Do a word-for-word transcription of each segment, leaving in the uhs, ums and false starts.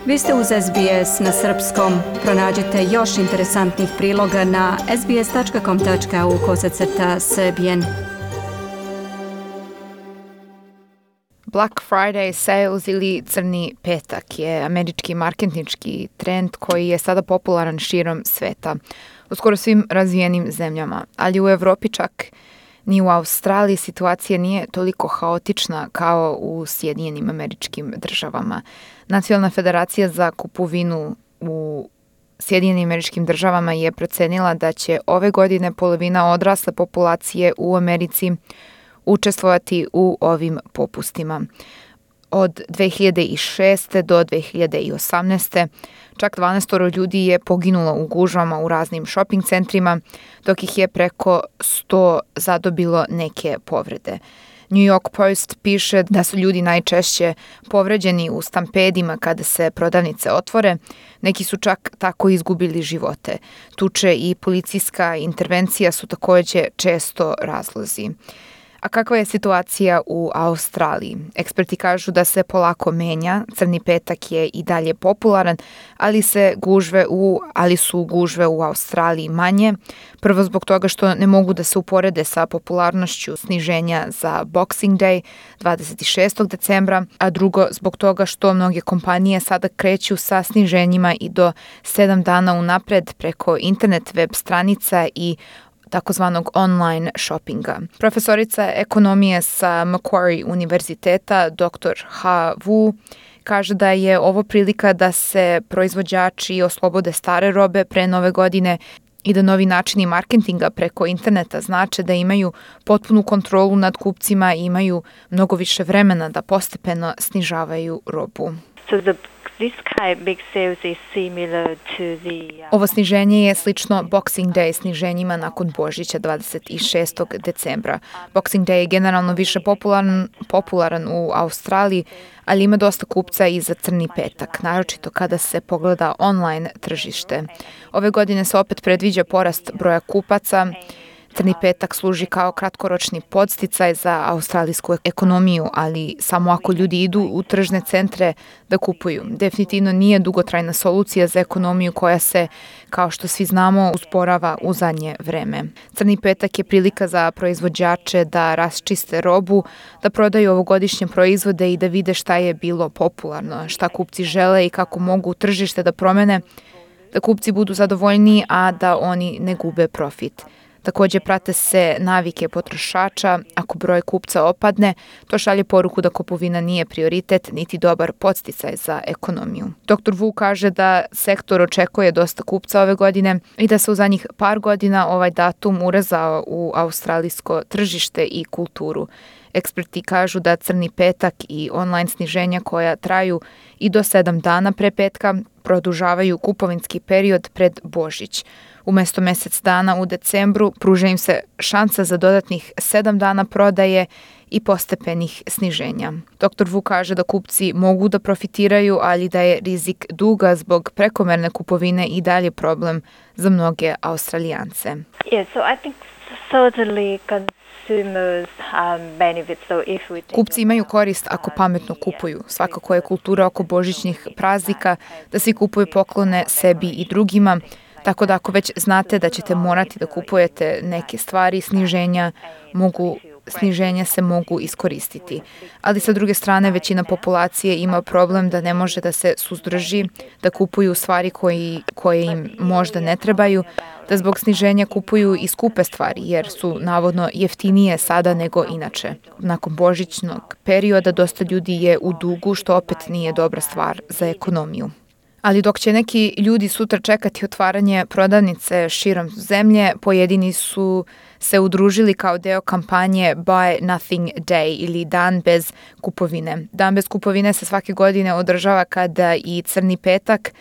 Vi ste uz S B S na srpskom. Pronađite još interesantnih priloga na sbs.com.au kosacrta srbijen. Black Friday sales ili crni petak je američki marketinški trend koji je sada popularan širom sveta, u skoro svim razvijenim zemljama, ali u Evropi čak ni u Australiji situacija nije toliko haotična kao u Sjedinjenim Američkim Državama. Nacionalna federacija za kupovinu u Sjedinjenim Američkim Državama je procenila da će ove godine polovina odrasle populacije u Americi učestvovati u ovim popustima. Od dve hiljade šeste. do dve hiljade osamnaeste. čak dvanaest ljudi je poginulo u gužvama u raznim shopping centrima, dok ih je preko sto zadobilo neke povrede. New York Post piše da su ljudi najčešće povređeni u stampedima kada se prodavnice otvore. Neki su čak tako izgubili živote. Tuče i policijska intervencija su također često razlozi. A kakva je situacija u Australiji? Eksperti kažu da se polako menja, crni petak je i dalje popularan, ali se gužve u, ali su gužve u Australiji manje. Prvo zbog toga što ne mogu da se uporede sa popularnošću sniženja za Boxing Day dvadeset šestog decembra, a drugo zbog toga što mnoge kompanije sada kreću sa sniženjima i do sedam dana unapred preko internet web stranica i takozvanog online shoppinga. Profesorica ekonomije sa Macquarie univerziteta, doktor Ha Wu, kaže da je ovo prilika da se proizvođači oslobode stare robe pre nove godine i da novi načini marketinga preko interneta znače da imaju potpunu kontrolu nad kupcima i imaju mnogo više vremena da postepeno snižavaju robu. So the This kind of big sales is similar to the, uh... Ovo sniženje je slično Boxing Day sniženjima nakon Božića dvadeset šestog decembra. Boxing Day je generalno više popularan, popularan u Australiji, ali ima dosta kupca i za crni petak, naročito kada se pogleda online tržište. Ove godine se opet predviđa porast broja kupaca. Crni petak služi kao kratkoročni podsticaj za australijsku ekonomiju, ali samo ako ljudi idu u tržne centre da kupuju. Definitivno nije dugotrajna solucija za ekonomiju koja se, kao što svi znamo, usporava u zadnje vreme. Crni petak je prilika za proizvođače da raščiste robu, da prodaju ovogodišnje proizvode i da vide šta je bilo popularno, šta kupci žele i kako mogu tržište da promene, da kupci budu zadovoljniji, a da oni ne gube profit. Također prate se navike potrošača, ako broj kupca opadne, to šalje poruku da kupovina nije prioritet niti dobar podsticaj za ekonomiju. doktor Wu kaže da sektor očekuje dosta kupca ove godine i da se u zadnjih par godina ovaj datum urezao u australijsko tržište i kulturu. Eksperti kažu da crni petak i online sniženja koja traju i do sedam dana pre petka produžavaju kupovinski period pred Božić. Umjesto mjesec dana u decembru pruža im se šansa za dodatnih sedam dana prodaje i postepenih sniženja. doktor Wu kaže da kupci mogu da profitiraju, ali da je rizik duga zbog prekomerne kupovine i dalje problem za mnoge Australijance. Yeah, so I think certainly consumers um, benefit. So if we take Kupci imaju korist ako pametno kupuju. Svakako je kultura oko božićnih praznika da svi kupuju poklone sebi i drugima. Tako da ako već znate da ćete morati da kupujete neke stvari, sniženja, mogu, sniženja se mogu iskoristiti. Ali sa druge strane većina populacije ima problem da ne može da se suzdrži, da kupuju stvari koji, koje im možda ne trebaju, da zbog sniženja kupuju i skupe stvari jer su navodno jeftinije sada nego inače. Nakon božićnog perioda dosta ljudi je u dugu što opet nije dobra stvar za ekonomiju. Ali dok će neki ljudi sutra čekati otvaranje prodavnice širom zemlje, pojedini su se udružili kao deo kampanje Buy Nothing Day ili Dan bez kupovine. Dan bez kupovine se svake godine održava kada i crni petak,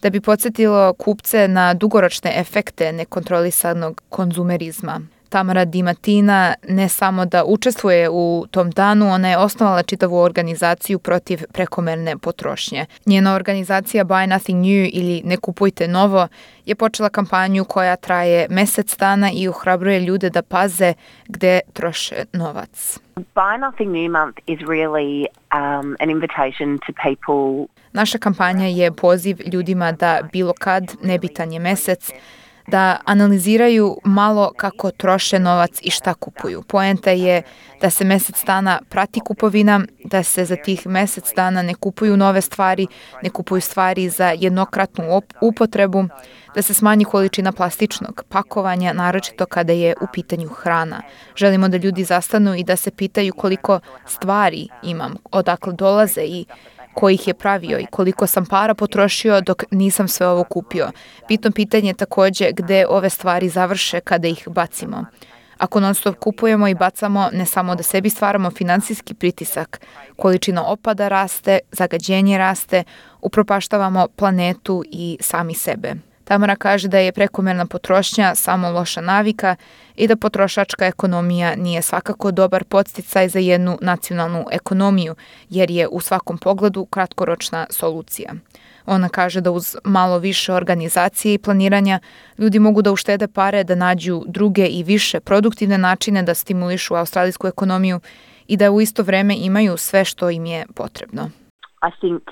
da bi podsjetilo kupce na dugoročne efekte nekontrolisanog konzumerizma. Tamara Di Martina ne samo da učestvuje u tom danu, ona je osnovala čitavu organizaciju protiv prekomerne potrošnje. Njena organizacija Buy Nothing New ili Ne kupujte novo je počela kampanju koja traje mesec dana i ohrabruje ljude da paze gde troše novac. Buy Nothing New month is really um, an invitation to people. Naša kampanja je poziv ljudima da bilo kad, nebitan je mesec, da analiziraju malo kako troše novac i šta kupuju. Poenta je da se mesec dana prati kupovina, da se za tih mesec dana ne kupuju nove stvari, ne kupuju stvari za jednokratnu op- upotrebu, da se smanji količina plastičnog pakovanja, naročito kada je u pitanju hrana. Želimo da ljudi zastanu i da se pitaju koliko stvari imam, odakle dolaze i ko ih je pravio i koliko sam para potrošio dok nisam sve ovo kupio. Bitno pitanje je takođe gde ove stvari završe kada ih bacimo. Ako non stop kupujemo i bacamo, ne samo da sebi stvaramo finansijski pritisak, količina otpada raste, zagađenje raste, upropaštavamo planetu i sami sebe. Tamara kaže da je prekomerna potrošnja samo loša navika i da potrošačka ekonomija nije svakako dobar podsticaj za jednu nacionalnu ekonomiju, jer je u svakom pogledu kratkoročna solucija. Ona kaže da uz malo više organizacije i planiranja ljudi mogu da uštede pare, da nađu druge i više produktivne načine da stimulišu australijsku ekonomiju i da u isto vreme imaju sve što im je potrebno. I think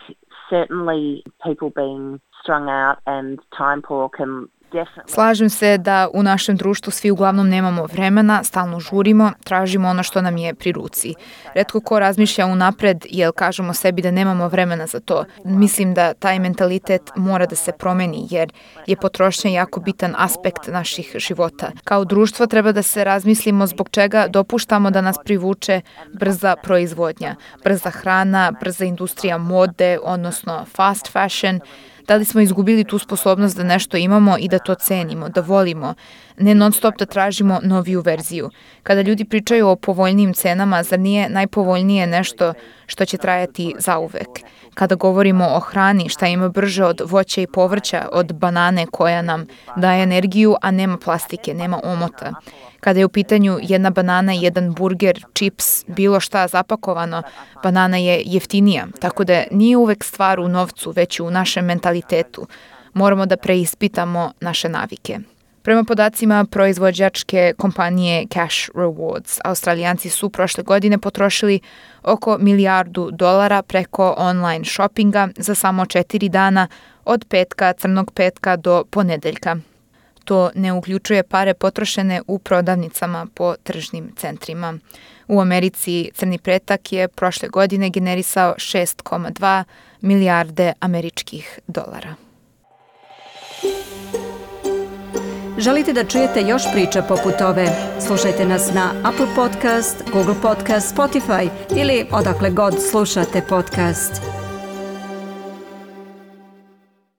certainly people being strung out and time poor can definitely... Slažem se da u našem društvu svi uglavnom nemamo vremena, stalno žurimo, tražimo ono što nam je pri ruci. Retko ko razmišlja unapred jer kažemo sebi da nemamo vremena za to. Mislim da taj mentalitet mora da se promeni jer je potrošnja jako bitan aspekt naših života. Kao društvo treba da se razmislimo zbog čega dopuštamo da nas privuče brza proizvodnja, brza hrana, brza industrija mode, odnosno fast fashion. Da li smo izgubili tu sposobnost da nešto imamo i da to cenimo, da volimo, ne non stop da tražimo noviju verziju. Kada ljudi pričaju o povoljnijim cenama, zar nije najpovoljnije nešto što će trajati zauvek? Kada govorimo o hrani, šta ima brže od voća i povrća, od banane koja nam daje energiju, a nema plastike, nema omota. Kada je u pitanju jedna banana, jedan burger, čips, bilo šta zapakovano, banana je jeftinija, tako da nije uvek stvar u novcu, već u našem mentalitetu. Moramo da preispitamo naše navike. Prema podacima proizvođačke kompanije Cash Rewards, Australijanci su prošle godine potrošili oko milijardu dolara preko online shoppinga za samo četiri dana od petka, crnog petka do ponedeljka. To ne uključuje pare potrošene u prodavnicama po tržnim centrima. U Americi crni petak je prošle godine generisao šest zarez dva milijarde američkih dolara. Želite da čujete još priča poput ove? Slušajte nas na Apple Podcast, Google Podcast, Spotify ili odakle god slušate podcast.